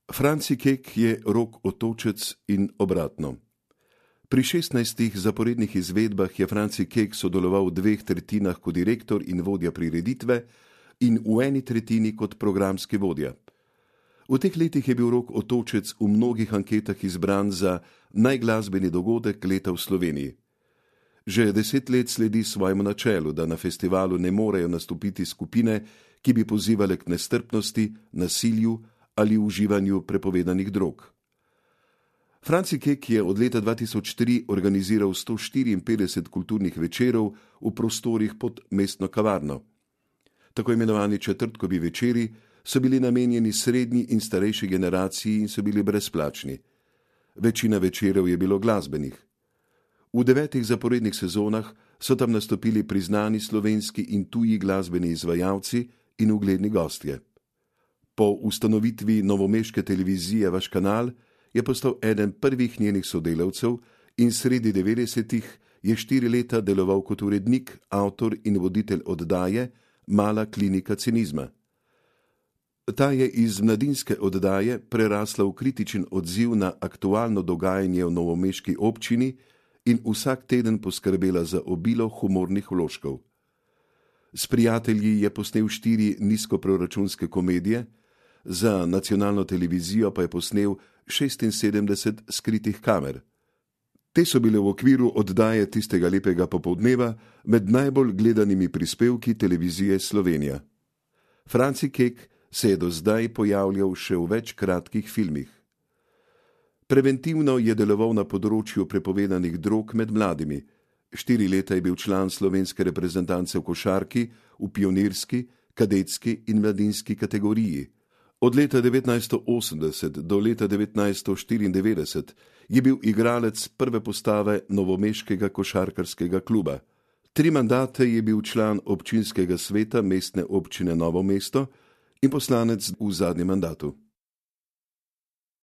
Franci Kek je Rok Otočec in obratno. Pri 16 zaporednih izvedbah je Franci Kek sodeloval v 2/3 kot direktor in vodja prireditve in v 1/3 kot programski vodja. V teh letih je bil Rok Otočec v mnogih anketah izbran za najglasbeni dogodek leta v Sloveniji. Že 10 let sledi svojemu načelu, da na festivalu ne morejo nastopiti skupine, ki bi pozivale k nestrpnosti, nasilju ali uživanju prepovedanih drog. Franci Kek je od leta 2003 organiziral 154 kulturnih večerov v prostorih pod mestno kavarno. Tako imenovani četrtkovi večeri so bili namenjeni srednji in starejši generaciji in so bili brezplačni. Večina večerov je bilo glasbenih. V 9 zaporednih sezonah so tam nastopili priznani slovenski in tuji glasbeni izvajalci in ugledni gostje. Po ustanovitvi novomeške televizije Vaš kanal je postal eden prvih njenih sodelavcev in sredi 90-ih je 4 leta deloval kot urednik, avtor in voditelj oddaje Mala klinika cinizma. Ta je iz mladinske oddaje prerasla v kritičen odziv na aktualno dogajanje v novomeški občini in vsak teden poskrbela za obilo humornih vložkov. S prijatelji je posnel 4 nizkoproračunske komedije, za nacionalno televizijo pa je posnel 76 skritih kamer. Te so bile v okviru oddaje Tistega lepega popoldneva med najbolj gledanimi prispevki televizije Slovenija. Franci Kek se je do zdaj pojavljal še v več kratkih filmih. Preventivno je deloval na področju prepovedanih drog med mladimi. 4 leta je bil član slovenske reprezentance v košarki, v pionirski, kadetski in mladinski kategoriji. Od leta 1980 do leta 1994 je bil igralec prve postave novomeškega košarkarskega kluba. 3 mandate je bil član občinskega sveta mestne občine Novo mesto in poslanec v zadnjem mandatu.